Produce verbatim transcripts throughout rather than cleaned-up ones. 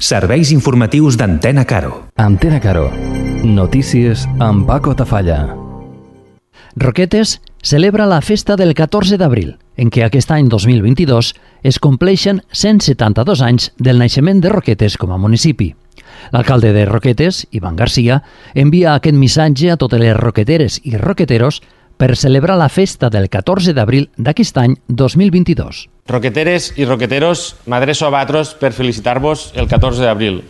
Serveis informatius d'Antena Caro. Antena Caro. Notícies amb Paco Tafalla. Roquetes celebra la festa del catorze d'abril, en què aquest any dos mil vint-i-dos es compleixen cent setanta-dos anys del naixement de Roquetes com a municipi. L'alcalde de Roquetes, Ivan Garcia, envia aquest missatge a totes les roqueteres i roqueteros per celebrar la festa del catorze d'abril d'aquest any dos mil vint-i-dos. Roqueteres i roqueteros, m'adreço a vosaltres per felicitar-vos el catorze d'abril,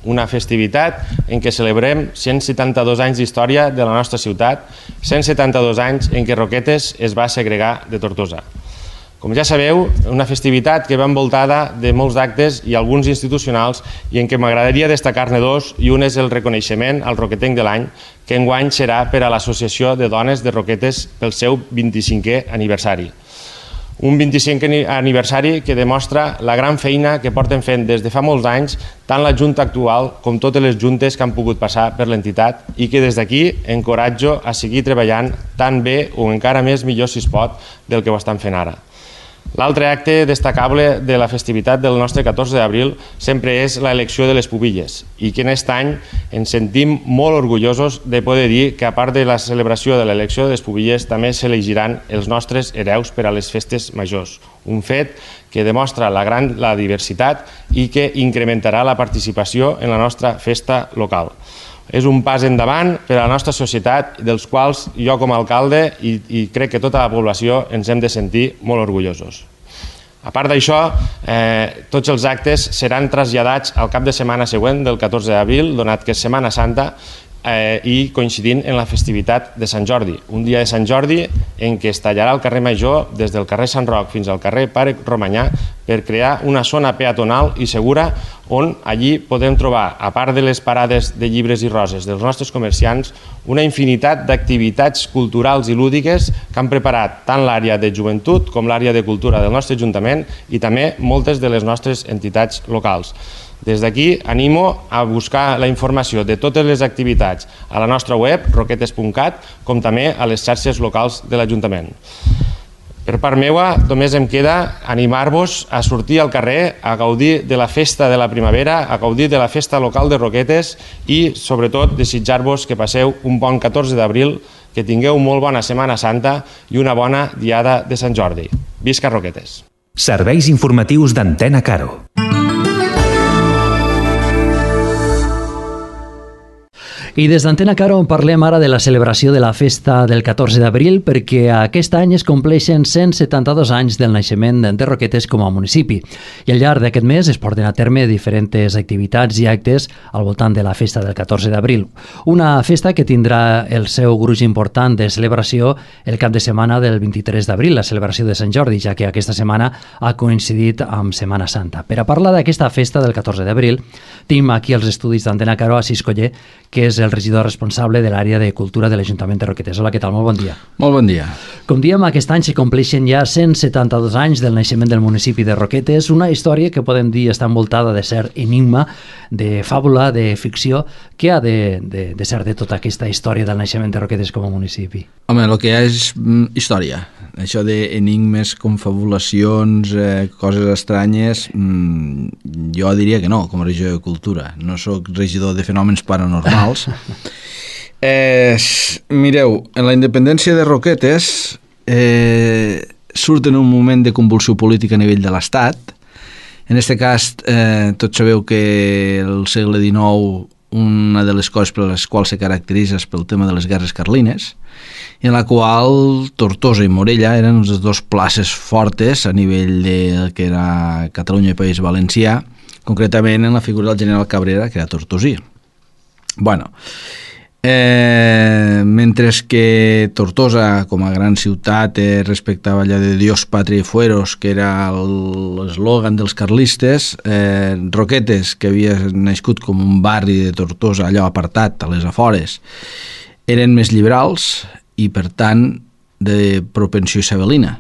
una festivitat en què celebrem cent setanta-dos anys d'història de la nostra ciutat, cent setanta-dos anys en què Roquetes es va segregar de Tortosa. Com ja sabeu, una festivitat que va envoltada de molts actes i alguns institucionals i en què m'agradaria destacar-ne dos, i un és el reconeixement al roquetenc de l'any, que enguany serà per a l'Associació de Dones de Roquetes pel seu vint-i-cinquè aniversari. Un vint-i-cinquè aniversari que demostra la gran feina que porten fent des de fa molts anys tant la Junta actual com totes les juntes que han pogut passar per l'entitat i que des d'aquí encoratjo a seguir treballant tan bé o encara més millor si es pot del que ho estan fent ara. L'altre acte destacable de la festivitat del nostre catorze d'abril sempre és l'elecció de les pubilles i que en aquest any ens sentim molt orgullosos de poder dir que a part de la celebració de l'elecció de les pubilles també s'elegiran els nostres hereus per a les festes majors, un fet que demostra la gran la diversitat i que incrementarà la participació en la nostra festa local. És un pas endavant per a la nostra societat, dels quals jo com a alcalde i, i crec que tota la població ens hem de sentir molt orgullosos. A part d'això, eh, tots els actes seran traslladats al cap de setmana següent del catorze d'abril, donat que és Setmana Santa, eh, i coincidint en la festivitat de Sant Jordi, un dia de Sant Jordi en què es tallarà el carrer Major des del carrer Sant Roc fins al carrer Pare Romanyà per crear una zona peatonal i segura on allí podem trobar, a part de les parades de llibres i roses dels nostres comerciants, una infinitat d'activitats culturals i lúdiques que han preparat tant l'àrea de joventut com l'àrea de cultura del nostre Ajuntament i també moltes de les nostres entitats locals. Des d'aquí animo a buscar la informació de totes les activitats a la nostra web, roquetes punt cat, com també a les xarxes locals de l'Ajuntament. Per part meva, només em queda animar-vos a sortir al carrer, a gaudir de la festa de la primavera, a gaudir de la festa local de Roquetes i, sobretot, desitjar-vos que passeu un bon catorze d'abril, que tingueu molt bona Setmana Santa i una bona diada de Sant Jordi. Visca Roquetes! Serveis informatius d'Antena Caro. I des d'Antena Caro parlem ara de la celebració de la festa del catorze d'abril perquè aquest any es compleixen cent setanta-dos anys del naixement de Roquetes com a municipi. I al llarg d'aquest mes es porten a terme diferents activitats i actes al voltant de la festa del catorze d'abril. Una festa que tindrà el seu gruix important de celebració el cap de setmana del vint-i-tres d'abril, la celebració de Sant Jordi, ja que aquesta setmana ha coincidit amb Setmana Santa. Per a parlar d'aquesta festa del catorze d'abril, tenim aquí als estudis d'Antena Caro a Sis Coller, que és el regidor responsable de l'àrea de cultura de l'Ajuntament de Roquetes. Hola, què tal? Molt bon dia. Molt bon dia. Com diem, aquest any se compleixen ja cent setanta-dos anys del naixement del municipi de Roquetes, una història que podem dir està envoltada de cert enigma, de fàbula, de ficció. Què ha de, de, de ser de tota aquesta història del naixement de Roquetes com a municipi? Home, el que hi ha és mm, història. Això d'enigmes, confabulacions, eh, coses estranyes, mmm, jo diria que no, com a regidor de cultura. No sóc regidor de fenòmens paranormals. eh, mireu, en la independència de Roquetes eh, surt en un moment de convulsió política a nivell de l'Estat. En aquest cas, eh, tots sabeu que el segle dinou una de les coses per les quals se caracteritza és pel tema de les guerres carlines, en la qual Tortosa i Morella eren les dues places fortes a nivell de que era Catalunya i País Valencià, concretament en la figura del general Cabrera, que era tortosí. Bueno, eh, mentre que Tortosa, com a gran ciutat, eh, respectava allò de Dios, Patria i Fueros, que era l'eslògan dels carlistes, eh, Roquetes, que havia nascut com un barri de Tortosa, allò apartat, a les afores, eren més liberals i, per tant, de propensió isabelina.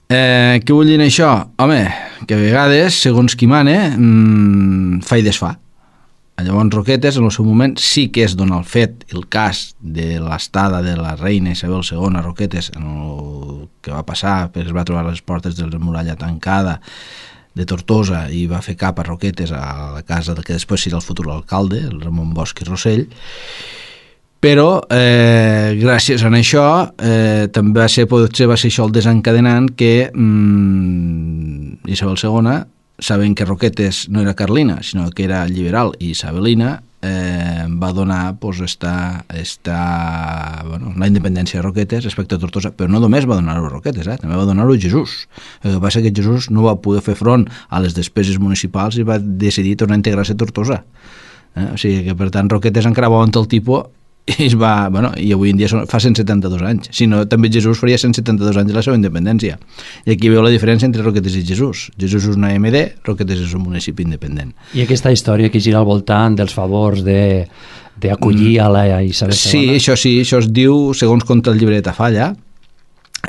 Eh, què vull dir això? Home, que a vegades, segons qui mane, mmm, fa i desfà. Llavors Roquetes, en el seu moment, sí que és donar el fet, el cas de l'estada de la reina Isabel segona a Roquetes, en el que va passar, perquè es va trobar les portes de la muralla tancada, de Tortosa i va fer cap a Roquetes, a la casa del que després serà el futur alcalde, el Ramon Bosch i Rossell, però eh, gràcies a això eh, també va ser, potser va ser això el desencadenant que mm, Isabel segona, sabent que Roquetes no era carlina, sinó que era liberal i isabelina, eh, va donar pues, esta, esta, bueno, la independència de Roquetes respecte a Tortosa, però no només va donar-ho a Roquetes, eh, també va donar-ho a Jesús. El que passa és que Jesús no va poder fer front a les despeses municipals i va decidir tornar a integrar-se a Tortosa. Eh? O sigui que, per tant, Roquetes encara va on el tipus i es va, bueno, i avui en dia fa cent setanta-dos anys, si no també Jesús faria cent setanta-dos anys de la seva independència, i aquí veu la diferència entre Roquetes i Jesús. Jesús és una M D, Roquetes és un municipi independent. I aquesta història que gira al voltant dels favors de d'acollir a la Isabel segona. Sí, això sí, això es diu, segons conta el llibre de Tafalla,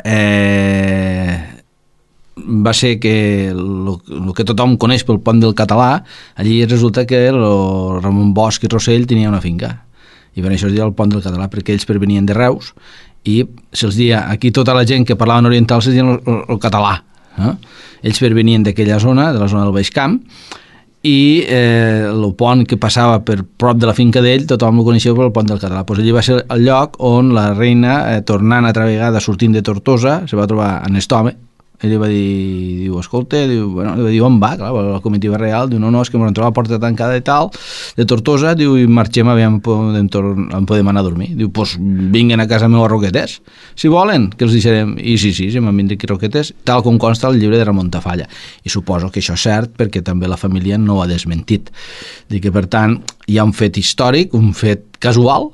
eh, va ser que el que tothom coneix pel pont del Català, allí resulta que el Ramon Bosch i Rossell tenia una finca, i per això es deia el pont del Català, perquè ells pervenien de Reus i se'ls deia, aquí tota la gent que parlaven oriental se'ls deia el, el, el català, eh? Ells pervenien d'aquella zona, de la zona del Baix Camp, i eh, el pont que passava per prop de la finca d'ell tothom el coneixia pel pont del Català. Pues allí va ser el lloc on la reina, eh, tornant altra vegada, sortint de Tortosa, se va trobar en Estome. Ell li va dir, diu, escolta, diu, bueno, li va dir, on va? Clar, la comitiva real, diu, no, no, és que m'han trobat la porta tancada i tal, de Tortosa, diu, i marxem, aviam, podem, on podem anar a dormir. Diu, doncs pues, vinguen a casa meva a Roquetes, si volen, que els deixarem. I sí, sí, sí, m'han vingut aquí a Roquetes, tal com consta el llibre de Ramon Tafalla. I suposo que això és cert, perquè també la família no ho ha desmentit. Dic que, per tant, hi ha un fet històric, un fet casual,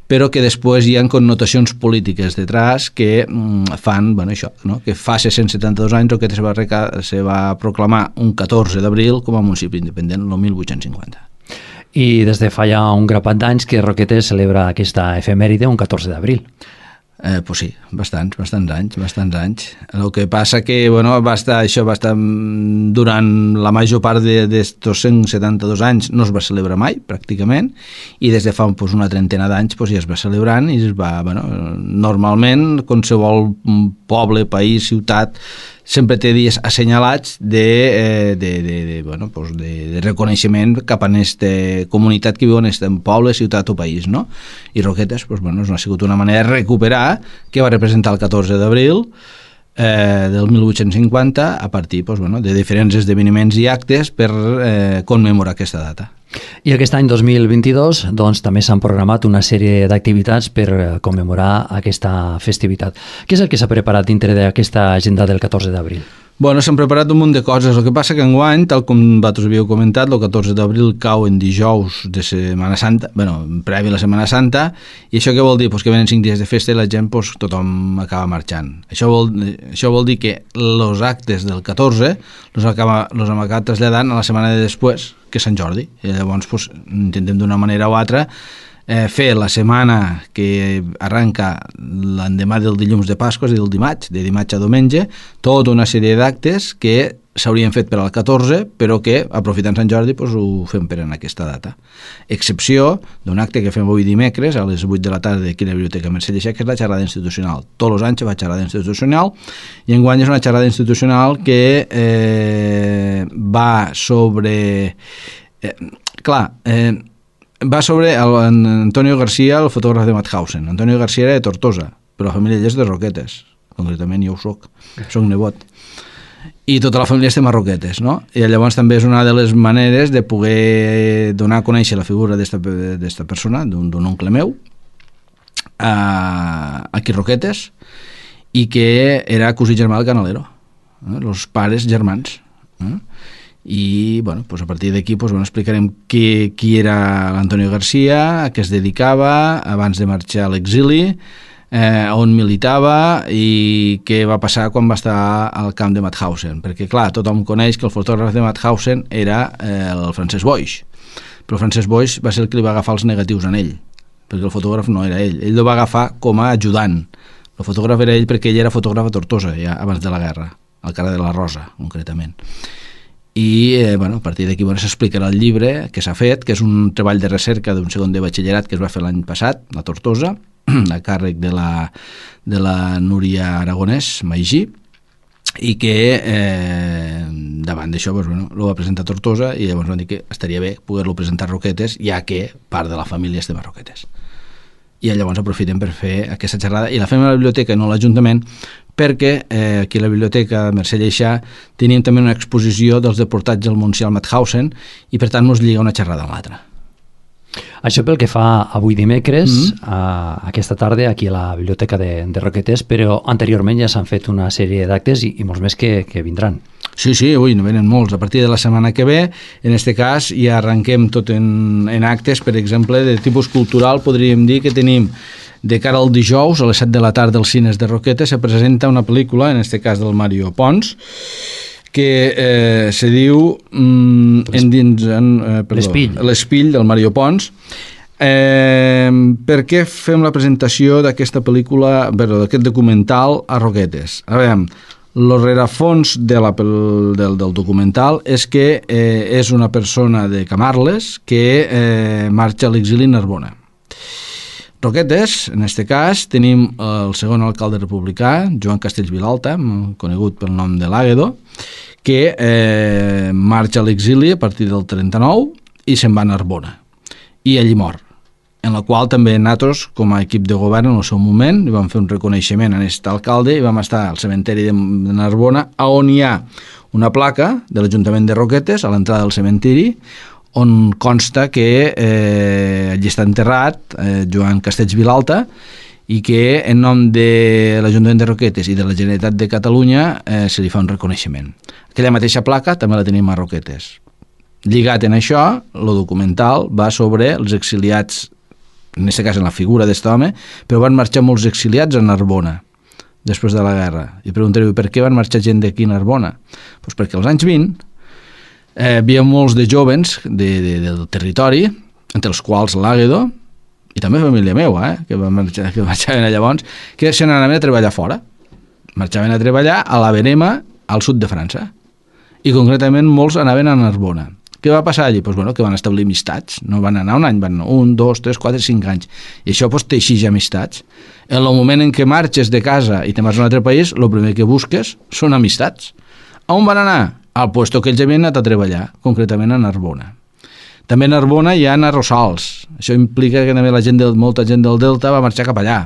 però que després hi ha connotacions polítiques detrás que mm, fan, bueno, això, no? Que fa cent setanta-dos anys que se va, reca- se va proclamar un catorze d'abril com a municipi independent, el mil vuit-cents cinquanta. I des de fa ja un grapat d'anys que Roquetes celebra aquesta efemèride un catorze d'abril. Eh, pues sí, bastants, bastants anys, bastants anys. El que passa que, bueno, va estar, això va estar durant la major part d'estos cent setanta-dos anys no es va celebrar mai, pràcticament, i des de fa pues, una trentena d'anys pues, ja es va celebrant i es va, bueno, normalment qualsevol poble, país, ciutat sempre té dies assenyalats de, eh, de, de, de, bueno, pues de, de reconeixement cap a aquesta comunitat que viu en aquest poble, ciutat o país, no? I Roquetes pues, bueno, ha sigut una manera de recuperar que va representar el catorze d'abril eh, del mil vuit-cents cinquanta a partir pues, bueno, de diferents esdeveniments i actes per eh, commemorar aquesta data. I aquest any dos mil vint-i-dos doncs, també s'han programat una sèrie d'activitats per commemorar aquesta festivitat. Què és el que s'ha preparat dintre d'aquesta agenda del catorze d'abril? Bueno, s'han preparat un munt de coses. El que passa que enguany, tal com vosaltres havíeu comentat, el catorze d'abril cau en dijous de Setmana Santa, bueno, previ a la Setmana Santa, i això què vol dir? Pues que venen cinc dies de festa i la gent pues, tothom acaba marxant. Això vol, això vol dir que els actes del catorze els acaba, los hem acabat traslladant a la setmana de després, que és Sant Jordi. I llavors pues, intentem d'una manera o altra eh, fer la setmana que arranca l'endemà del dilluns de Pasqua, és a dir, el dimarts, de dimarts a diumenge, tota una sèrie d'actes que s'haurien fet per al catorze, però que, aprofitant Sant Jordi, pues, ho fem per en aquesta data. Excepció d'un acte que fem avui dimecres, a les vuit de la tarda aquí a la Biblioteca Mercè Lleixà, que és la xerrada institucional. Tots els anys va xerrada institucional, i enguany és una xerrada institucional que eh, va sobre... Eh, clar, eh, va sobre el, en Antonio García, el fotògraf de Mauthausen. Antonio García era de Tortosa, però la família ella és de Roquetes. Concretament jo ho soc, soc nebot. I tota la família estem a Roquetes, no? I llavors també és una de les maneres de poder donar a conèixer la figura d'esta persona, d'un oncle meu, a, aquí a Roquetes, i que era cosí germà del Canalero, eh? Els pares germans. Eh? I bueno, pues a partir d'aquí pues, bueno, explicarem qui, qui era l'Antonio García, a què es dedicava abans de marxar a l'exili, eh, on militava i què va passar quan va estar al camp de Mauthausen, perquè clar, tothom coneix que el fotògraf de Mauthausen era eh, el Francesc Boix, però Francesc Boix va ser el que li va agafar els negatius en ell, perquè el fotògraf no era ell, ell el va agafar com a ajudant, el fotògraf era ell perquè ell era fotògraf a Tortosa ja abans de la guerra, al carrer de la Rosa concretament. I eh, bueno, a partir d'aquí bueno, s'explicarà el llibre que s'ha fet, que és un treball de recerca d'un segon de batxillerat que es va fer l'any passat a Tortosa, a càrrec de la, de la Núria Aragonès Maigí, i que eh, davant d'això doncs, bueno, lo va presentar a Tortosa i llavors van dir que estaria bé poder-lo presentar a Roquetes, ja que part de la família estem a Roquetes. I llavors aprofitem per fer aquesta xerrada i la fem a la biblioteca i no a l'Ajuntament, perquè eh, aquí a la biblioteca Mercè Lleixà teníem també una exposició dels deportats del Montsià al Mauthausen i per tant ens lliga una xerrada amb l'altra. Això pel que fa avui dimecres, Mm-hmm. a aquesta tarda, aquí a la Biblioteca de, de Roquetes, però anteriorment ja s'han fet una sèrie d'actes i, i molts més que, que vindran. Sí, sí, ui, no venen molts. A partir de la setmana que ve, en este cas, ja arrenquem tot en, en actes, per exemple, de tipus cultural, podríem dir que tenim de cara al dijous, a les set de la tarda, als cines de Roquetes, se presenta una pel·lícula, en este cas del Mario Pons, que eh, se diu mm, en dins, en, eh, perdó, L'Espill. L'Espill del Mario Pons. Eh, per què fem la presentació d'aquesta pel·lícula, perdó, d'aquest documental a Roquetes? A veure, el rerefons de la, del, del documental és que eh, és una persona de Camarles que eh, marxa a l'exili a Narbona. Roquetes, en este cas, tenim el segon alcalde republicà, Joan Castells Vilalta, conegut pel nom de l'Àguedo, que eh, marxa a l'exili a partir del trenta-nou i se'n va a Narbona. I allí mor, en la qual també nosaltres, com a equip de govern, en el seu moment, hi vam fer un reconeixement a aquest alcalde i vam estar al cementeri de Narbona, on hi ha una placa de l'Ajuntament de Roquetes, a l'entrada del cementiri, on consta que eh, allí està enterrat eh, Joan Castells Vilalta i que en nom de l'Ajuntament de Roquetes i de la Generalitat de Catalunya eh, se li fa un reconeixement. Aquella mateixa placa també la tenim a Roquetes. Lligat en això, el documental va sobre els exiliats, en aquest cas en la figura d'aquest home, però van marxar molts exiliats a Narbona després de la guerra. I preguntareu, per què van marxar gent d'aquí a Narbona? Pues perquè als anys vint eh, hi havia molts de jovens de, de, del territori, entre els quals l'Àguedo, i també família meva, eh, que, van marxar, que marxaven llavors, que se n'anaven a treballar fora. Marxaven a treballar a la Verema, al sud de França. I concretament molts anaven a Narbona. Què va passar allí? Pues, bueno, que van establir amistats. No van anar un any, van anar un, dos, tres, quatre, cinc anys. I això pues, teixeix amistats. En el moment en què marxes de casa i te'n vas a un altre país, el primer que busques són amistats. A on van anar? Al puesto que ells havien anat a treballar, concretament a Narbona. També a Narbona hi ha arrossals. Això implica que també la gent del, molta gent del Delta va marxar cap allà.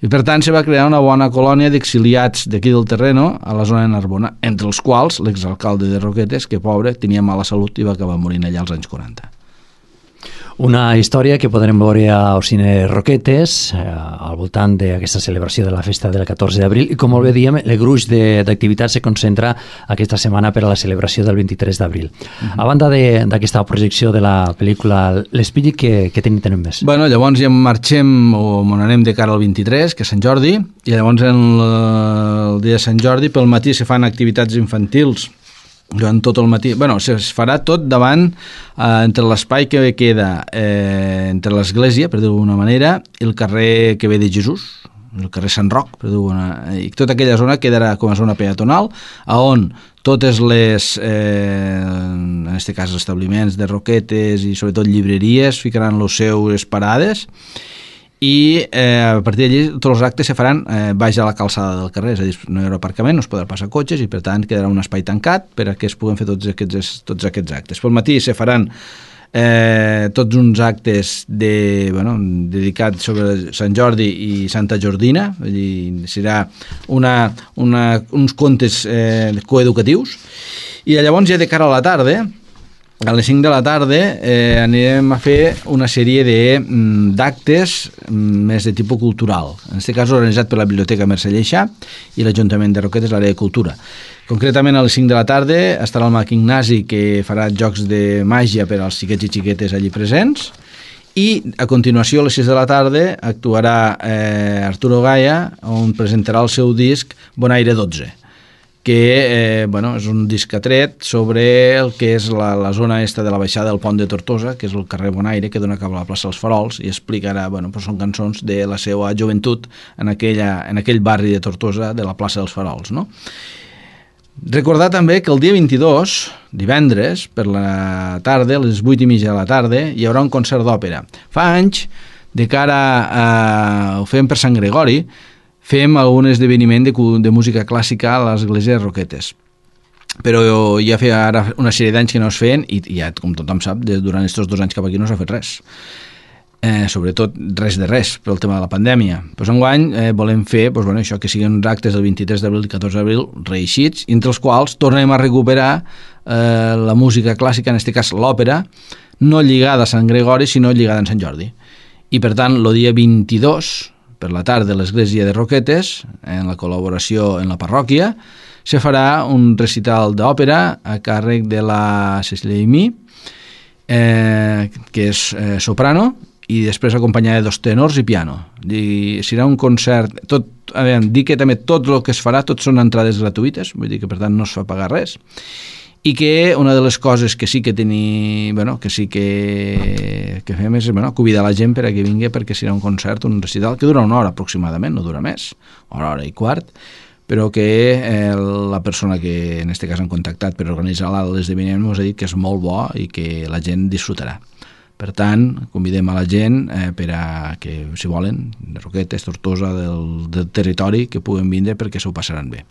I per tant se va crear una bona colònia d'exiliats d'aquí del terreno a la zona de Narbona, entre els quals l'exalcalde de Roquetes, que pobre, tenia mala salut i va acabar morint allà als anys quaranta. Una història que podrem veure al cine Roquetes eh, al voltant d'aquesta celebració de la festa del catorze d'abril i com molt bé diem, el gruix d'activitats se concentra aquesta setmana per a la celebració del vint-i-tres d'abril. Uh-huh. A banda d'aquesta projecció de la pel·lícula L'Espill, què, què tenim, tenim més? Bueno, llavors ja marxem o anem de cara al vint-i-tres, que és Sant Jordi, i llavors en el, el dia de Sant Jordi pel matí se fan activitats infantils durant tot el matí. Bueno, es farà tot davant, eh, entre l'espai que queda eh, entre l'església, per dir-ho d'alguna manera, i el carrer que ve de Jesús, el carrer Sant Roc, per dir-ho d'alguna... I tota aquella zona quedarà com a zona peatonal, on totes les, eh, en aquest cas, establiments de Roquetes i sobretot llibreries ficaran les seues parades, i eh, a partir d'allí tots els actes se faran eh, baix a la calçada del carrer, és a dir, no hi haurà aparcament, no es podrà passar cotxes i per tant quedarà un espai tancat per a que es puguen fer tots aquests, tots aquests actes. Pel matí se faran eh, tots uns actes de, bueno, dedicats sobre Sant Jordi i Santa Jordina, vull dir, serà una, una, uns contes eh, coeducatius, i llavors ja de cara a la tarda, a les cinc de la tarda eh, anirem a fer una sèrie d'actes més de tipus cultural. En aquest cas organitzat per la Biblioteca Mercè Lleixà i l'Ajuntament de Roquetes, l'àrea de cultura. Concretament a les cinc de la tarda estarà el Mag Ignasi, que farà jocs de màgia per als xiquets i xiquetes allí presents, i a continuació a les sis de la tarda actuarà eh, Arturo Gaia, on presentarà el seu disc Bonaire dotze, que eh, bueno, és un disc atret sobre el que és la, la zona esta de la baixada del Pont de Tortosa, que és el carrer Bonaire, que dona cap a la plaça dels Farols, i explicarà, bueno, doncs són cançons de la seva joventut en, aquella, en aquell barri de Tortosa de la plaça dels Farols, no? Recordar també que el dia vint-i-dos, divendres, per la tarda, a les vuit i mitja de la tarda, hi haurà un concert d'òpera. Fa anys, de cara a... ho fem per Sant Gregori, fem algun esdeveniment de, de música clàssica a l'església de Roquetes. Però ja feia ara una sèrie d'anys que no es feien i ja, com tothom sap, durant aquests dos anys cap aquí no s'ha fet res. Eh, sobretot res de res pel tema de la pandèmia. Pues enguany eh, volem fer pues, bueno, això, que siguin uns actes del vint-i-tres d'abril i catorze d'abril reeixits, entre els quals tornem a recuperar eh, la música clàssica, en aquest cas l'òpera, no lligada a Sant Gregori, sinó lligada a Sant Jordi. I per tant, el dia vint-i-dos, per la tarda, a l'església de Roquetes, en la col·laboració en la parròquia, se farà un recital d'òpera a càrrec de la Cecilia Imí, eh, que és eh, soprano, i després acompanyada de dos tenors i piano. I serà un concert, tot, a veure, dir que també tot el que es farà, tot són entrades gratuïtes, vull dir que per tant no es fa pagar res, i que una de les coses que sí que teni, bueno, que sí que, que fem és bueno, convidar la gent per a que vingui, perquè serà un concert, un recital que dura una hora aproximadament, no dura més, una hora i quart, però que eh, la persona que en aquest cas han contactat per organitzar l'esdeveniment ens ha dit que és molt bo i que la gent disfrutarà. Per tant, convidem a la gent eh, per a que, si volen, de Roquetes, Tortosa, del, del territori, que puguen vindre perquè s'ho passaran bé.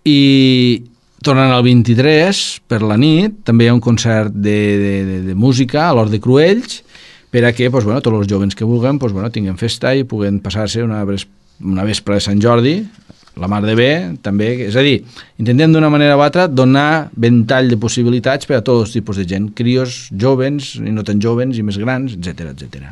I tornant al vint-i-tres, per la nit, també hi ha un concert de, de, de, de música a l'Hort de Cruells, per a que pues, bueno, tots els joves que vulguin pues, bueno, tinguin festa i puguen passar-se una, una vespre de Sant Jordi, la mar de bé, també, és a dir, intentem d'una manera o altra donar ventall de possibilitats per a tots els tipus de gent, crios, jovens, i no tan jovens, i més grans, etcètera, etcètera.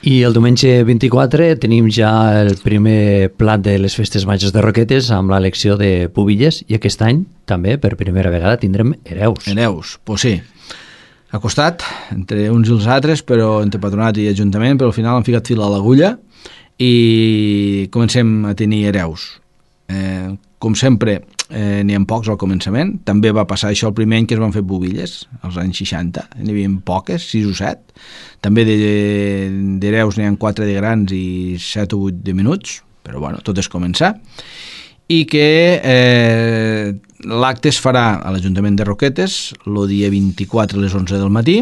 I el diumenge vint-i-quatre tenim ja el primer plat de les festes majors de Roquetes amb l'elecció de pubilles, i aquest any també, per primera vegada, tindrem hereus. Hereus, doncs sí. Ha costat, entre uns i els altres, però entre patronat i ajuntament, però al final han ficat fil a l'agulla i comencem a tenir hereus. Eh, com sempre eh, n'hi ha pocs al començament, també va passar això el primer any que es van fer pubilles als anys seixanta, n'hi havia poques, sis o set, també d'hereus n'hi ha quatre de grans i set o vuit de menuts, però bueno, tot és començar, i que eh, l'acte es farà a l'Ajuntament de Roquetes el dia vint-i-quatre a les onze del matí,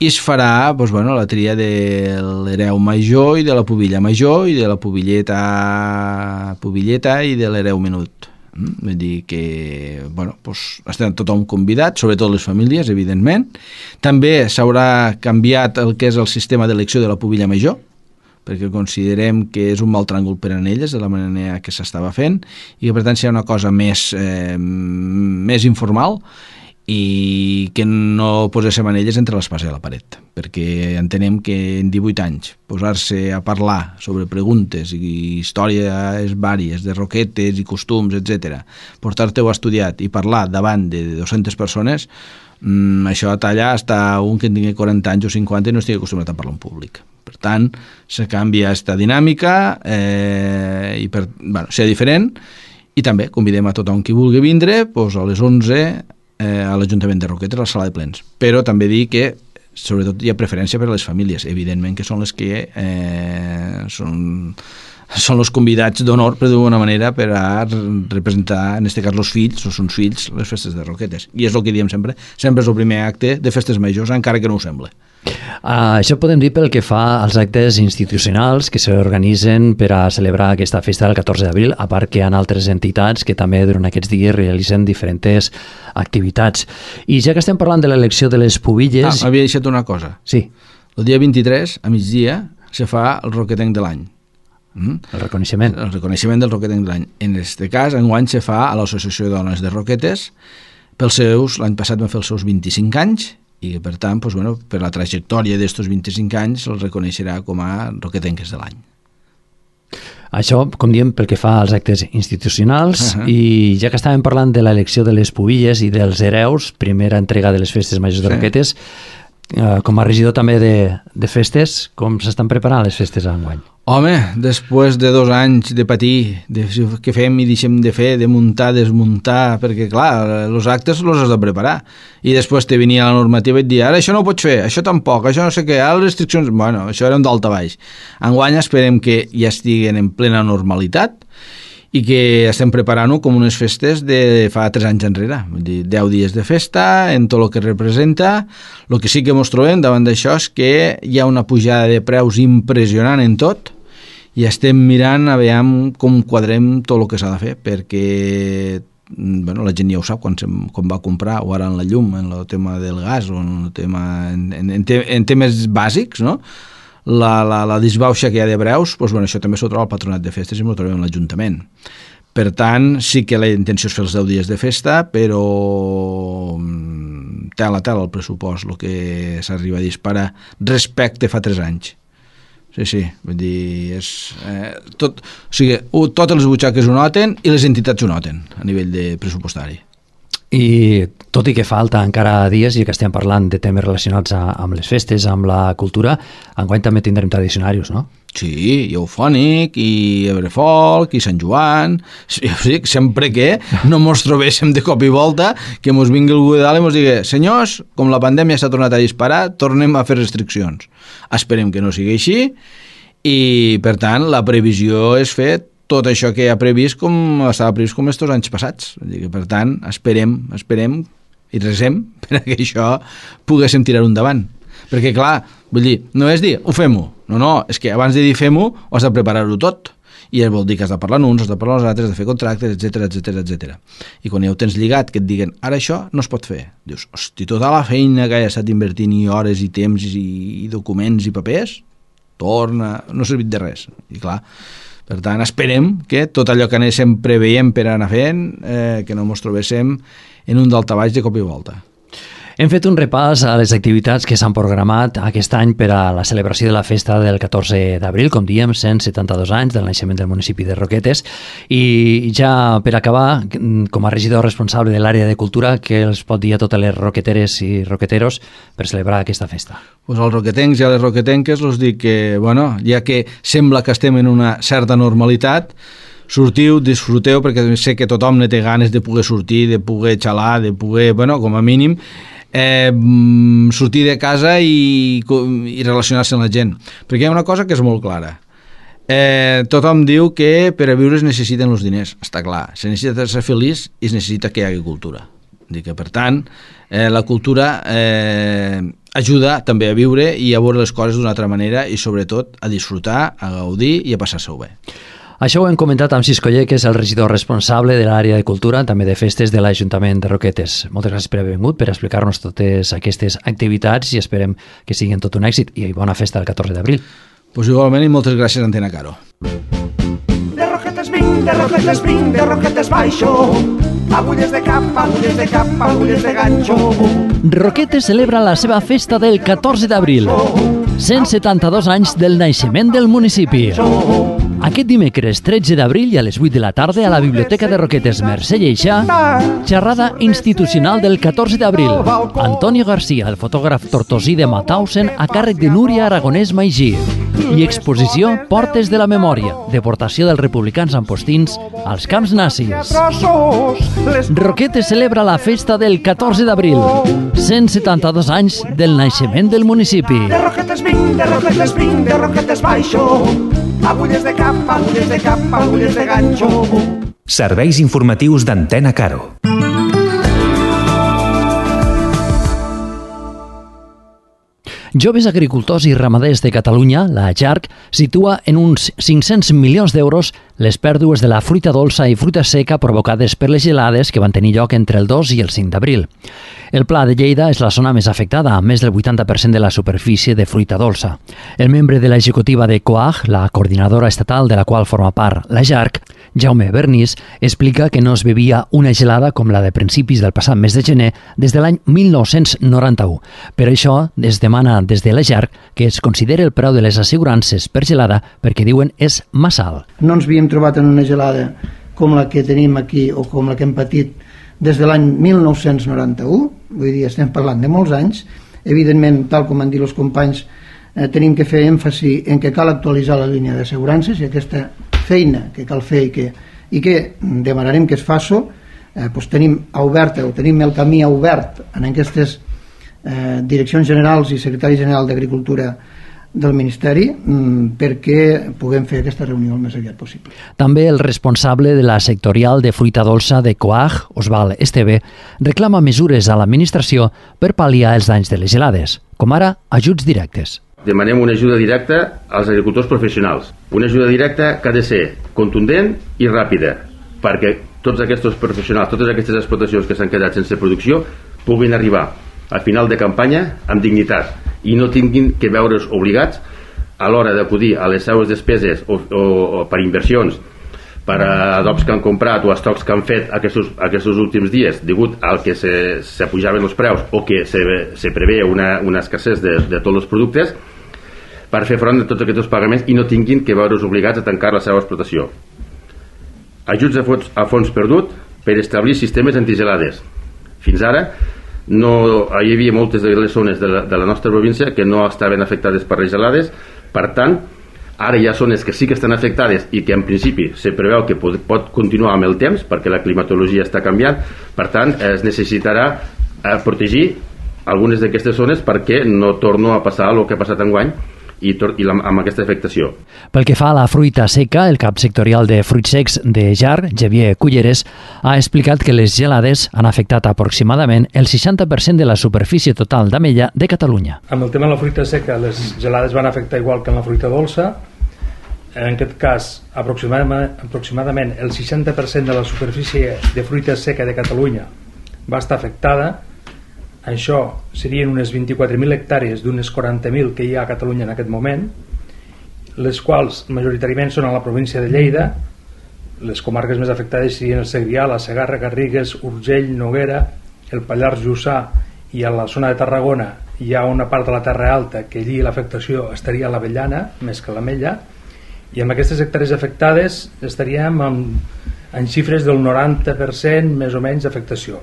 i es farà doncs, bueno, la tria de l'hereu major i de la pubilla major i de la pubilleta, pubilleta i de l'hereu menut. Mm? Vull dir que bueno, doncs, estem tothom convidat, sobretot les famílies, evidentment. També s'haurà canviat el que és el sistema d'elecció de la pubilla major, perquè considerem que és un mal tràngol per a elles, de la manera que s'estava fent, i que per tant serà una cosa més, eh, més informal, i que no poséssim anelles entre l'espasa i la paret, perquè entenem que en divuit anys posar-se a parlar sobre preguntes i històries vàries de Roquetes i costums, etcètera, portar-te-ho estudiat i parlar davant de dues-centes persones, mmm, això talla hasta un que tingui quaranta anys o cinquanta i no estigui acostumat a parlar en públic. Per tant, se canvia aquesta dinàmica eh, i per, bueno, ser diferent, i també convidem a tothom qui vulgui vindre doncs a les onze a l'Ajuntament de Roquetes, a la sala de plens. Però també dir que, sobretot, hi ha preferència per a les famílies, evidentment que són les que eh, són, són els convidats d'honor, per d'alguna manera, per a representar, en aquest cas, els fills, o són fills, les festes de Roquetes. I és el que diem sempre, sempre és el primer acte de festes majors, encara que no ho sembla. Uh, això podem dir pel que fa als actes institucionals que s'organitzen per a celebrar aquesta festa del catorze d'abril, a part que hi ha altres entitats que també durant aquests dies realitzen diferents activitats. I ja que estem parlant de l'elecció de les pubilles... Ah, m'havia deixat una cosa. Sí. El dia vint-i-tres, a migdia, se fa el roquetenc de l'any. Mm? El reconeixement. El reconeixement del roquetenc de l'any. En aquest cas, enguany se fa a l'Associació de Dones de Roquetes, pels seus, l'any passat van fer els seus vint-i-cinc anys, i que per tant, doncs, bueno, per la trajectòria d'estos vint-i-cinc anys se'ls reconeixerà com a roquetenques de l'any. Això, com diem, pel que fa als actes institucionals, uh-huh. I ja que estàvem parlant de l'elecció de les pubilles i dels hereus, primera entrega de les festes majors de sí. Roquetes, eh, com a regidor també de, de festes, com s'estan preparant les festes enguany? Home, després de dos anys de patir, de què fem i deixem de fer, de muntar, desmuntar, perquè clar, els actes els has de preparar. I després te venia la normativa i et dia, ara això no ho pots fer, això tampoc, això no sé què, ara les restriccions... Bueno, això era un d'alta baix. Enguany esperem que ja estiguen en plena normalitat i que estem preparant-ho com unes festes de fa tres anys enrere, vull dir, deu dies de festa, en tot el que representa. El que sí que ens trobem davant d'això és que hi ha una pujada de preus impressionant en tot, i estem mirant a veure com quadrem tot el que s'ha de fer, perquè bueno, la gent ja ho sap quan, sem, quan va comprar, o ara en la llum, en el tema del gas, o en, el tema, en, en, en, te, en temes bàsics, no? la, la, la disbauxa que hi ha de preus, doncs, bueno, això també s'ho troba el Patronat de Festes i m'ho trobem a l'Ajuntament. Per tant, sí que la intenció és fer els deu dies de festa, però tela a tela el pressupost, el que s'arriba a disparar respecte fa tres anys. Sí, sí, vull dir, és, eh, tot, o sigui, totes les butxaques ho noten i les entitats ho noten a nivell de pressupostari. I tot i que falta encara dies i que estem parlant de temes relacionats a, amb les festes, amb la cultura, enguany també tindrem tradicionaris, no? Sí, i Eufònic, i Ebrefolc, i Sant Joan, sí, sempre que no mos trobéssim de cop i volta, que mos vingui algú de dalt i mos digui, senyors, com la pandèmia s'ha tornat a disparar, tornem a fer restriccions. Esperem que no sigui així, i per tant la previsió és fer tot això que ha previst com estava previst com estos anys passats. Per tant, esperem, esperem i resem perquè això poguéssim tirar endavant. Perquè, clar, vull dir, no és dir, ho fem-ho. No, no, és que abans de dir fem-ho, has de preparar-ho tot. I vol dir que has de parlar amb uns, has de parlar amb els altres, has de fer contractes, etcètera, etcètera, etcètera. I quan ja ho tens lligat, que et diguen, ara això no es pot fer. Dius, hosti, tota la feina que he estat invertint i hores i temps i, i documents i papers, torna, no ha servit de res. I clar, per tant, esperem que tot allò que anéssim preveient per anar fent, eh, que no ens trobéssim en un daltabaix de cop i volta. Hem fet un repàs a les activitats que s'han programat aquest any per a la celebració de la festa del catorze d'abril, com diem, cent setanta-dos anys del naixement del municipi de Roquetes, i ja per acabar, com a regidor responsable de l'àrea de cultura, què els pot dir a totes les roqueteres i roqueteros per celebrar aquesta festa? Pues als roquetencs i a les roquetenques els dic que, bueno, ja que sembla que estem en una certa normalitat, sortiu, disfruteu, perquè sé que tothom ne té ganes de poder sortir, de poder xalar, de poder, bueno, com a mínim, Eh, sortir de casa i, i relacionar-se amb la gent, perquè hi ha una cosa que és molt clara, eh, tothom diu que per a viure es necessiten els diners, està clar, se necessita ser feliç i es necessita que hi hagi cultura. Dic que, per tant, eh, la cultura eh, ajuda també a viure i a veure les coses d'una altra manera i sobretot a disfrutar, a gaudir i a passar-se-ho bé. Això ho hem comentat amb Cisco Lle, que és el regidor responsable de l'àrea de cultura, també de festes de l'Ajuntament de Roquetes. Moltes gràcies per haver vingut, per explicar-nos totes aquestes activitats i esperem que siguin tot un èxit i bona festa el catorze d'abril. Pues igualment i moltes gràcies, Antena Caro. De Roquetes vinc, de Roquetes vinc, de Roquetes baixo, agulles de cap, agulles de cap, agulles de ganxo. Roquetes celebra la seva festa del catorze d'abril, cent setanta-dos anys del naixement del municipi. Aquest dimecres tretze d'abril i a les vuit de la tarda a la Biblioteca de Roquetes Mercè Lleixa, xerrada institucional del catorze d'abril. Antonio García, el fotògraf tortosí de Mauthausen, a càrrec de Núria Aragonès Maigí. I exposició Portes de la Memòria, deportació dels republicans ampostins als camps nazis. Roquetes celebra la festa del catorze d'abril, cent setanta-dos anys del naixement del municipi. De Roquetes vinc, de Roquetes vinc, de Roquetes baixo, agulles de cap, agulles de cap, agulles de ganxo. Serveis informatius d'Antena Caro. Joves Agricultors i Ramaders de Catalunya, la JARC, situa en uns cinc-cents milions d'euros les pèrdues de la fruita dolça i fruita seca provocades per les gelades que van tenir lloc entre el dos i el cinc d'abril. El Pla de Lleida és la zona més afectada, amb més del vuitanta per cent de la superfície de fruita dolça. El membre de l'executiva de COAG, la coordinadora estatal de la qual forma part la JARC, Jaume Bernís, explica que no es bevia una gelada com la de principis del passat mes de gener des de l'any mil nou-cents noranta-u. Per això es demana des de la JARC que es consideri el preu de les assegurances per gelada perquè diuen és massa alt. No ens havíem trobat en una gelada com la que tenim aquí o com la que hem patit des de l'any mil nou-cents noranta-u, vull dir, estem parlant de molts anys. Evidentment, tal com han dit els companys, eh, tenim que fer èmfasi en que cal actualitzar la línia d'assegurances i aquesta feina que cal fer i que, i que demanarem que es faci, eh, doncs tenim oberta o tenim el camí obert en aquestes eh, direccions generals i secretari general d'Agricultura del Ministeri mmm, perquè puguem fer aquesta reunió el més aviat possible. També el responsable de la sectorial de fruita dolça de COAG, Osval Esteve, reclama mesures a l'administració per pal·liar els danys de les gelades, com ara ajuts directes. Demanem una ajuda directa als agricultors professionals. Una ajuda directa que ha de ser contundent i ràpida, perquè tots aquests professionals, totes aquestes explotacions que s'han quedat sense producció puguin arribar a final de campanya amb dignitat i no tinguin que veure's obligats a l'hora d'acudir a les seues despeses o, o, o per inversions, per adobs que han comprat o estocs que han fet aquests, aquests últims dies degut al que se, se pujaven els preus o que se, se prevé una, una escassez de, de tots els productes, per fer front a tots aquests pagaments i no tinguin que veure's obligats a tancar la seva explotació. Ajuts a fons, a fons perdut per establir sistemes antigelades. Fins ara no, hi havia moltes de les zones de la, de la nostra província que no estaven afectades per les gelades. Per tant, ara hi ha zones que sí que estan afectades i que en principi se preveu que pot, pot continuar amb el temps perquè la climatologia està canviant. Per tant, es necessitarà eh, protegir algunes d'aquestes zones perquè no torno a passar el que ha passat enguany i, i la, amb aquesta afectació. Pel que fa a la fruita seca, el cap sectorial de fruits secs de Jar, Xavier Culleres, ha explicat que les gelades han afectat aproximadament el seixanta per cent de la superfície total d'ametlla de Catalunya. Amb el tema de la fruita seca, les gelades van afectar igual que en la fruita dolça. En aquest cas, aproximadament, aproximadament el seixanta per cent de la superfície de fruita seca de Catalunya va estar afectada. Això serien unes vint-i-quatre mil hectàrees d'unes quaranta mil que hi ha a Catalunya en aquest moment, les quals majoritàriament són a la província de Lleida. Les comarques més afectades serien el Segrià, la Segarra, Garrigues, Urgell, Noguera, el Pallars Jussà, i a la zona de Tarragona hi ha una part de la Terra Alta que allí l'afectació estaria a l'avellana més que a l'ametlla, i amb aquestes hectàrees afectades estaríem en, en xifres del noranta per cent més o menys d'afectació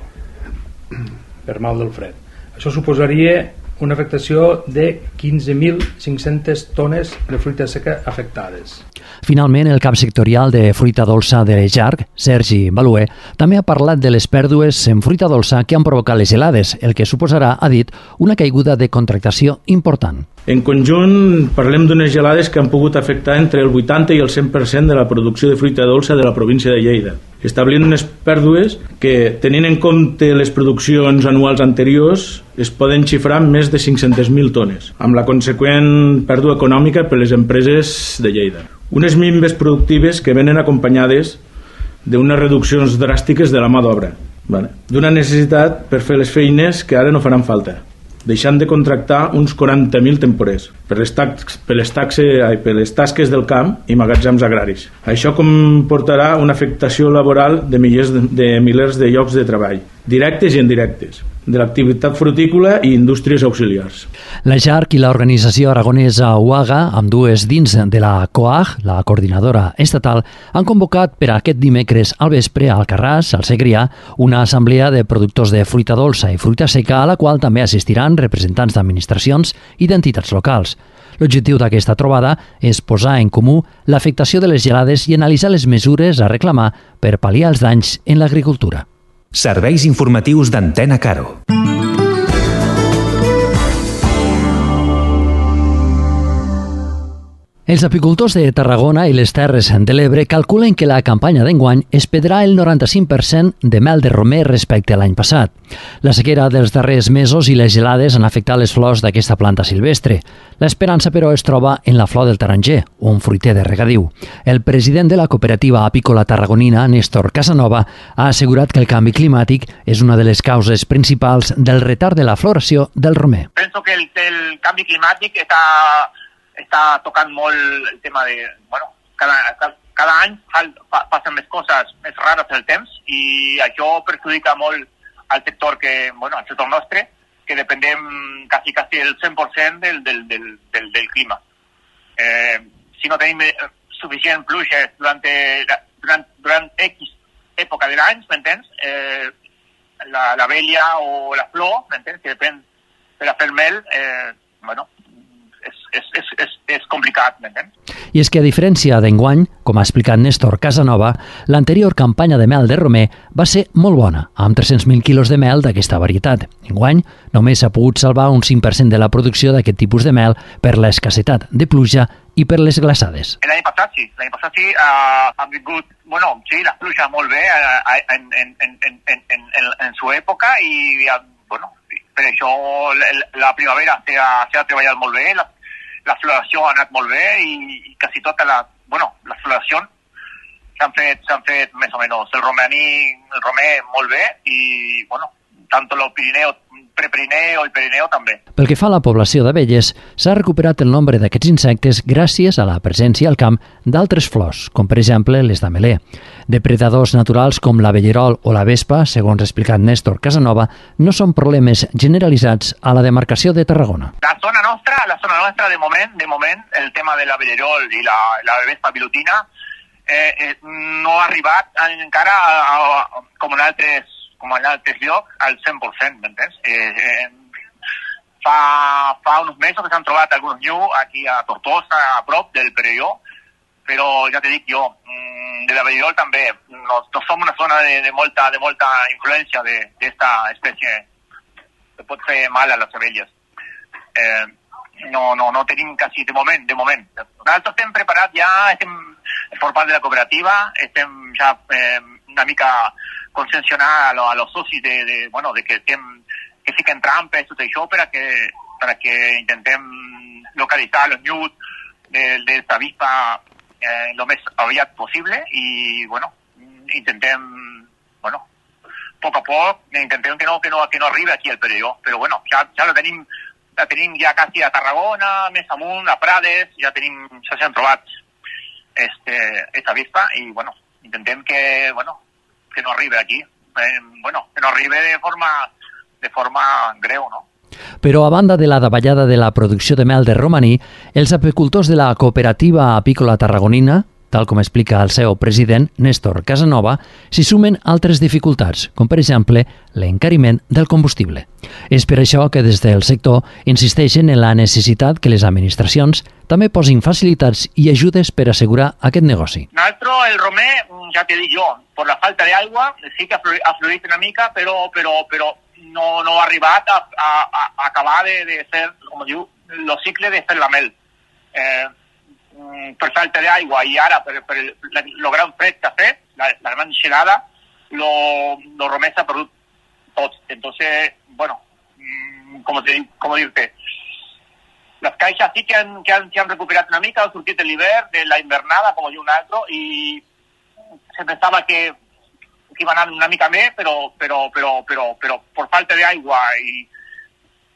per mal del fred. Això suposaria una afectació de quinze mil cinc-centes tones de fruita seca afectades. Finalment, el cap sectorial de fruita dolça de Jarc, Sergi Baluer, també ha parlat de les pèrdues en fruita dolça que han provocat les gelades, el que suposarà, ha dit, una caiguda de contractació important. En conjunt, parlem d'unes gelades que han pogut afectar entre el vuitanta i el cent per cent de la producció de fruita dolça de la província de Lleida, establint unes pèrdues que, tenint en compte les produccions anuals anteriors, es poden xifrar en més de cinc-centes mil tones, amb la conseqüent pèrdua econòmica per les empreses de Lleida. Unes minves productives que venen acompanyades d'unes reduccions dràstiques de la mà d'obra, vale? D'una necessitat per fer les feines que ara no faran falta, deixant de contractar uns quaranta mil temporers per les, tax, per, les taxe, ai, per les tasques del camp i magatzems agraris. Això comportarà una afectació laboral de milers de, de milers de llocs de treball, directes i indirectes, de l'activitat frutícola i indústries auxiliars. La Jarc i l'organització aragonesa U A G A, amb dues dins de la COAG, la coordinadora estatal, han convocat per aquest dimecres al vespre a Alcarràs, al Segrià, una assemblea de productors de fruita dolça i fruita seca a la qual també assistiran representants d'administracions i d'entitats locals. L'objectiu d'aquesta trobada és posar en comú l'afectació de les gelades i analitzar les mesures a reclamar per pal·liar els danys en l'agricultura. Serveis informatius d'Antena Caro. Els apicultors de Tarragona i les Terres de l'Ebre calculen que la campanya d'enguany es perdrà el noranta-cinc per cent de mel de romer respecte a l'any passat. La sequera dels darrers mesos i les gelades han afectat les flors d'aquesta planta silvestre. L'esperança, però, es troba en la flor del taronger, un fruiter de regadiu. El president de la cooperativa apícola tarragonina, Néstor Casanova, ha assegurat que el canvi climàtic és una de les causes principals del retard de la floració del romer. Penso que el, el canvi climàtic està està tocant molt el tema de, bueno, cada, cada, cada any passen més coses més rares del temps i això perjudica molt al sector que, bueno, al sector nostre, que dependem quasi, quasi el cent per cent del, del, del, del, del clima. Eh, si no tenim suficient pluges durant, durant, durant X època de l'any, m'entens? Eh, la, la vella o la flor, m'entens? Que depèn per a fer mel, eh, bueno, És, és, és, és, és complicat, m'entens? I és que, a diferència d'enguany, com ha explicat Néstor Casanova, l'anterior campanya de mel de romer va ser molt bona, amb tres-cents mil quilos de mel d'aquesta varietat. Enguany, només s'ha pogut salvar un cinc per cent de la producció d'aquest tipus de mel per l'escassetat de pluja i per les glaçades. L'any passat sí, l'any passat sí, uh, han vingut, bueno, sí, la pluja molt bé uh, en, en, en, en, en, en, en su època i, uh, bueno, per això la, la primavera s'ha treballat molt bé, la, la floració ha anat molt bé i, i quasi tota la, bueno, la floració s'han fet, s'han fet més o menys el romaní, el romer molt bé i, bueno, tant el Pirineu, Prepirineu i Pirineu també. Pel que fa a la població d'abelles, s'ha recuperat el nombre d'aquests insectes gràcies a la presència al camp d'altres flors, com per exemple les d'ameler. Depredadors naturals com l'avellerol o la vespa, segons ha explicat Néstor Casanova, no són problemes generalitzats a la demarcació de Tarragona. La zona nostra, la zona nostra de moment, de moment, el tema de l'avellerol i la, la vespa pilotina eh, eh, no ha arribat encara a, a, com en altres com en altres llocs, al cent per cent, m'entens? Eh, eh, fa, fa uns mesos que s'han trobat alguns nius aquí a Tortosa, a prop del Perelló, però ja te dic jo, de l'avellerol també, no, no som una zona de, de, molta, de molta influència d'esta espècie que pot fer mal a les abelles. Eh, no, no, no tenim quasi de moment, de moment. Nosaltres estem preparats ja, estem per part de la cooperativa, estem ja eh, una mica conscienciar a, lo, a los socis de, de, bueno, de que, estem, que fiquen trampes, tot això, per a que, per a que intentem localitzar els nius d'esta avispa eh, lo més aviat possible i, bueno, intentem, bueno, poc a poc, intentem que no, que no, que no arribi aquí al Perelló, però bueno, ja, ja la tenim, la tenim ja quasi a Tarragona, més amunt, a Prades, ja tenim, ja s'han trobat este, esta avispa i, bueno, intentem que, bueno, que no arribi aquí, eh, bueno, que no arribi de forma, de forma greu, no? Però a banda de la davallada de la producció de mel de romaní, els apicultors de la cooperativa apícola tarragonina, tal com explica el seu president, Néstor Casanova, s'hi sumen altres dificultats, com per exemple l'encariment del combustible. És per això que des del sector insisteixen en la necessitat que les administracions també posin facilitats i ajudes per assegurar aquest negoci. Nosaltres, el romer, ja te dic jo, per la falta d'aigua, sí que ha florit una mica, però, però, però no, no ha arribat a, a, a acabar de, de fer, com diu, el cicle de fer la mel. Eh, per falta d'aigua i ara per, per el, el gran fred que ha fet, la, la gran gelada, lo, lo romer s'ha perdut tot. Entonces, bueno, com, te, com dir-te, les caixes sí que han, que han, que han recuperat una mica, han sortit l'hivern, de la invernada, com diu un altre, i se pensava que, que iba a anar una mica més, però, però, però, però, però per falta d'aigua i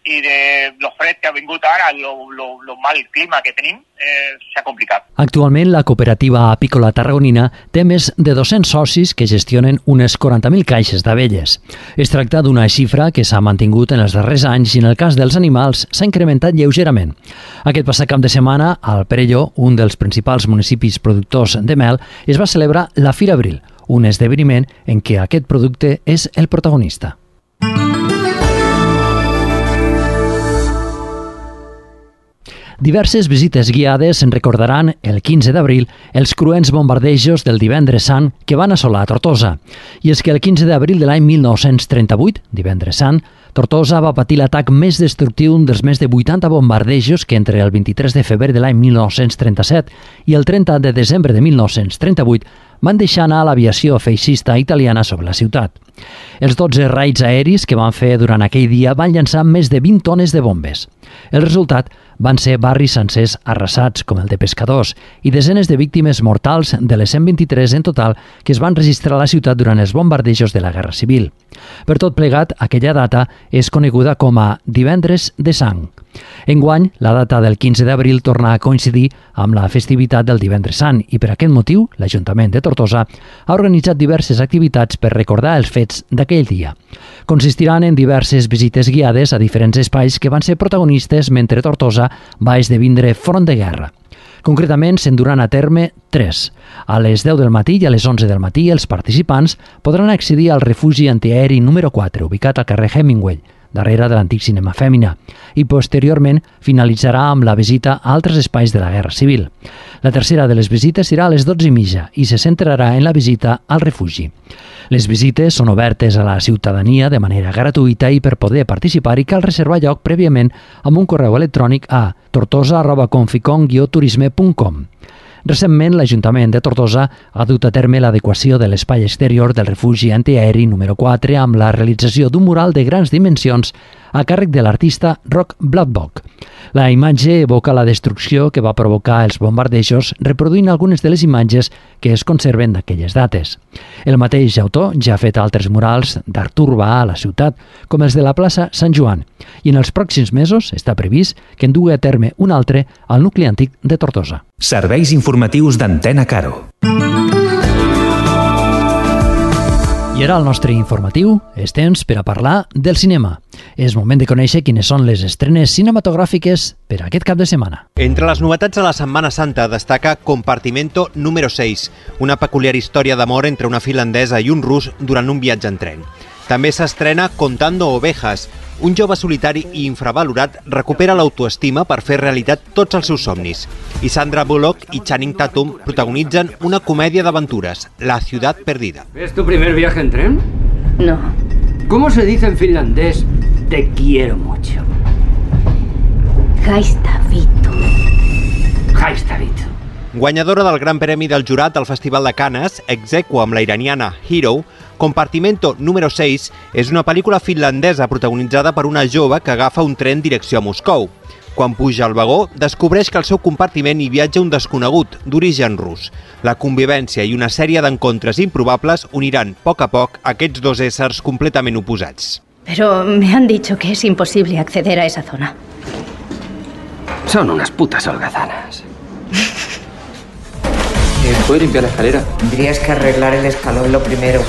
i de lo fred que ha vingut ara, lo, lo, lo mal clima que tenim, eh, s'ha complicat. Actualment, la cooperativa apícola tarragonina té més de dos-cents socis que gestionen unes quaranta mil caixes d'abelles. Es tracta d'una xifra que s'ha mantingut en els darrers anys i en el cas dels animals s'ha incrementat lleugerament. Aquest passat cap de setmana, al Perelló, un dels principals municipis productors de mel, es va celebrar la Fira Abril, un esdeveniment en què aquest producte és el protagonista. Diverses visites guiades en recordaran el quinze d'abril els cruents bombardejos del Divendres Sant que van assolar Tortosa. I és que el quinze d'abril de l'any mil nou-cents trenta-vuit, Divendres Sant, Tortosa va patir l'atac més destructiu dels més de vuitanta bombardejos que entre el vint-i-tres de febrer de l'any mil nou-cents trenta-set i el trenta de desembre de mil nou-cents trenta-vuit van deixar anar l'aviació feixista italiana sobre la ciutat. Els dotze raids aeris que van fer durant aquell dia van llançar més de vint tones de bombes. El resultat van ser barris sencers arrasats, com el de Pescadors, i desenes de víctimes mortals de les cent vint-i-tres en total que es van registrar a la ciutat durant els bombardejos de la Guerra Civil. Per tot plegat, aquella data és coneguda com a Divendres de Sang. Enguany, la data del quinze d'abril torna a coincidir amb la festivitat del Divendres Sant i per aquest motiu l'Ajuntament de Tortosa ha organitzat diverses activitats per recordar els fets d'aquell dia. Consistiran en diverses visites guiades a diferents espais que van ser protagonistes mentre Tortosa va esdevindre front de guerra. Concretament, se'n duran a terme tres. A les deu del matí i a les onze del matí els participants podran accedir al refugi antiaeri número quatre, ubicat al carrer Hemingway, darrere de l'antic cinema Fèmina, i posteriorment finalitzarà amb la visita a altres espais de la Guerra Civil. La tercera de les visites serà a les dotze i mitja i se centrarà en la visita al refugi. Les visites són obertes a la ciutadania de manera gratuïta i per poder participar-hi cal reservar lloc prèviament amb un correu electrònic a tortosa arroba conficon guió turisme punt com. Recentment, l'Ajuntament de Tortosa ha dut a terme l'adequació de l'espai exterior del refugi antiaeri número quatre amb la realització d'un mural de grans dimensions a càrrec de l'artista Roc Bladbock. La imatge evoca la destrucció que va provocar els bombardejos, reproduint algunes de les imatges que es conserven d'aquelles dates. El mateix autor ja ha fet altres murals d'art urbà a la ciutat, com els de la plaça Sant Joan, i en els pròxims mesos està previst que en dugui a terme un altre al nucli antic de Tortosa. Serveis informatius d'Antena Caro. I ara al nostre informatiu és temps per a parlar del cinema. És moment de conèixer quines són les estrenes cinematogràfiques per a aquest cap de setmana. Entre les novetats de la Setmana Santa destaca Compartimento número seis, una peculiar història d'amor entre una finlandesa i un rus durant un viatge en tren. També s'estrena Contando Ovejas. Un jove solitari i infravalorat recupera l'autoestima per fer realitat tots els seus somnis. I Sandra Bullock i Channing Tatum protagonitzen una comèdia d'aventures, La ciudad perdida. ¿Es tu primer viaje en tren? No. ¿Cómo se dice en finlandés te quiero mucho? Haistavito. Haistavito. Guanyadora del Gran Premi del Jurat al Festival de Canes, ex aequo amb la iraniana Hero, Compartimento número seis és una pel·lícula finlandesa protagonitzada per una jove que agafa un tren direcció a Moscou. Quan puja al vagó, descobreix que al seu compartiment hi viatja un desconegut, d'origen rus. La convivència i una sèrie d'encontres improbables uniran, a poc a poc, aquests dos éssers completament oposats. Pero me han dicho que es imposible acceder a esa zona. Son unas putas holgazanas. ¿Puedo limpiar la escalera? Tendrías que arreglar el escalón lo primero.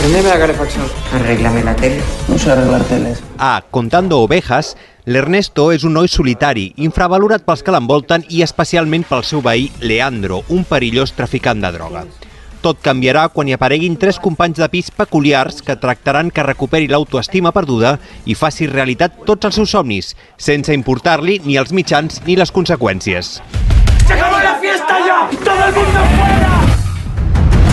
Prendeme la calefacción. Arréglame la tele. No sé arreglar teles. A Contando Ovejas, l'Ernesto és un noi solitari, infravalorat pels que l'envolten i especialment pel seu veí Leandro, un perillós traficant de droga. Tot canviarà quan hi apareguin tres companys de pis peculiars que tractaran que recuperi l'autoestima perduda i faci realitat tots els seus somnis, sense importar-li ni els mitjans ni les conseqüències. ¡Se acabó la fiesta ya! ¡Todo el mundo fuera!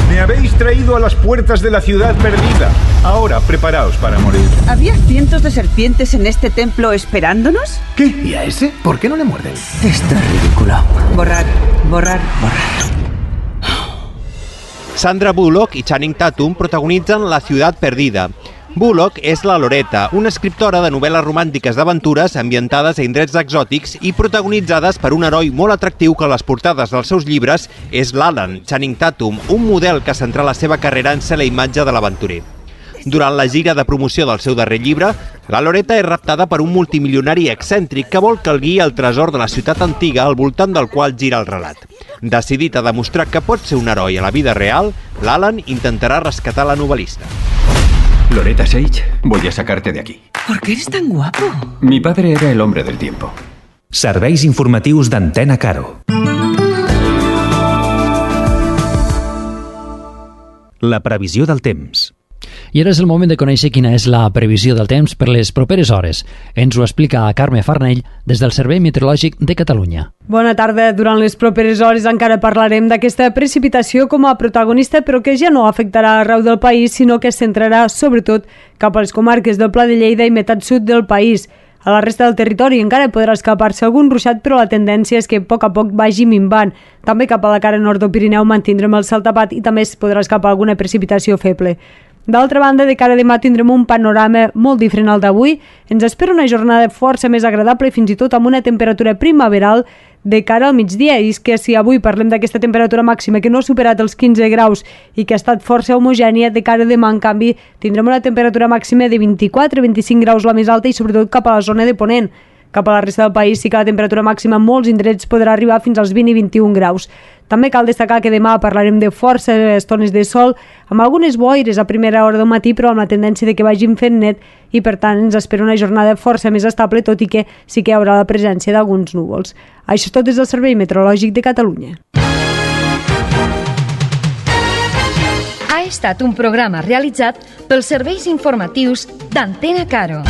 Me habéis traído a las puertas de la ciudad perdida. Ahora, preparaos para morir. ¿Había cientos de serpientes en este templo esperándonos? ¿Qué? ¿Y a ese? ¿Por qué no le muerden? Esto es ridículo. Borrar, borrar, borrar. Sandra Bullock i Channing Tatum protagonitzen La ciudad perdida. Bullock és la Loretta, una escriptora de novel·les romàntiques d'aventures ambientades a indrets exòtics i protagonitzades per un heroi molt atractiu que a les portades dels seus llibres és l'Alan, Channing Tatum, un model que centra la seva carrera en ser la imatge de l'aventurer. Durant la gira de promoció del seu darrer llibre, la Loretta és raptada per un multimilionari excèntric que vol que el guiï al tresor de la ciutat antiga al voltant del qual gira el relat. Decidit a demostrar que pot ser un heroi a la vida real, l'Alan intentarà rescatar la novel·lista. Loretta Sage, voy a sacarte de aquí. ¿Por qué eres tan guapo? Mi padre era el hombre del tiempo. Serveis informatius d'Antena Caro. La previsió del temps. I ara és el moment de conèixer quina és la previsió del temps per les properes hores. Ens ho explica Carme Farnell des del Servei Meteorològic de Catalunya. Bona tarda. Durant les properes hores encara parlarem d'aquesta precipitació com a protagonista, però que ja no afectarà arreu del país, sinó que es centrarà sobretot cap a les comarques del Pla de Lleida i meitat sud del país. A la resta del territori encara podrà escapar-se algun ruixat, però la tendència és que a poc a poc vagi minvant. També cap a la cara nord del Pirineu mantindrem el cel tapat i també es podrà escapar alguna precipitació feble. D'altra banda, de cara a demà tindrem un panorama molt diferent al d'avui. Ens espera una jornada força més agradable i fins i tot amb una temperatura primaveral de cara al migdia. I és que si avui parlem d'aquesta temperatura màxima que no ha superat els quinze graus i que ha estat força homogènia, de cara a demà, en canvi, tindrem una temperatura màxima de vint-i-quatre a vint-i-cinc graus la més alta i sobretot cap a la zona de Ponent. Cap a la resta del país sí que la temperatura màxima en molts indrets podrà arribar fins als vint i vint-i-un graus. També cal destacar que demà parlarem de força estones de sol, amb algunes boires a primera hora del matí, però amb la tendència de que vagin fent net i, per tant, ens espera una jornada força més estable, tot i que sí que hi haurà la presència d'alguns núvols. Això és tot des del Servei Meteorològic de Catalunya. Ha estat un programa realitzat pels serveis informatius d'Antena Caro.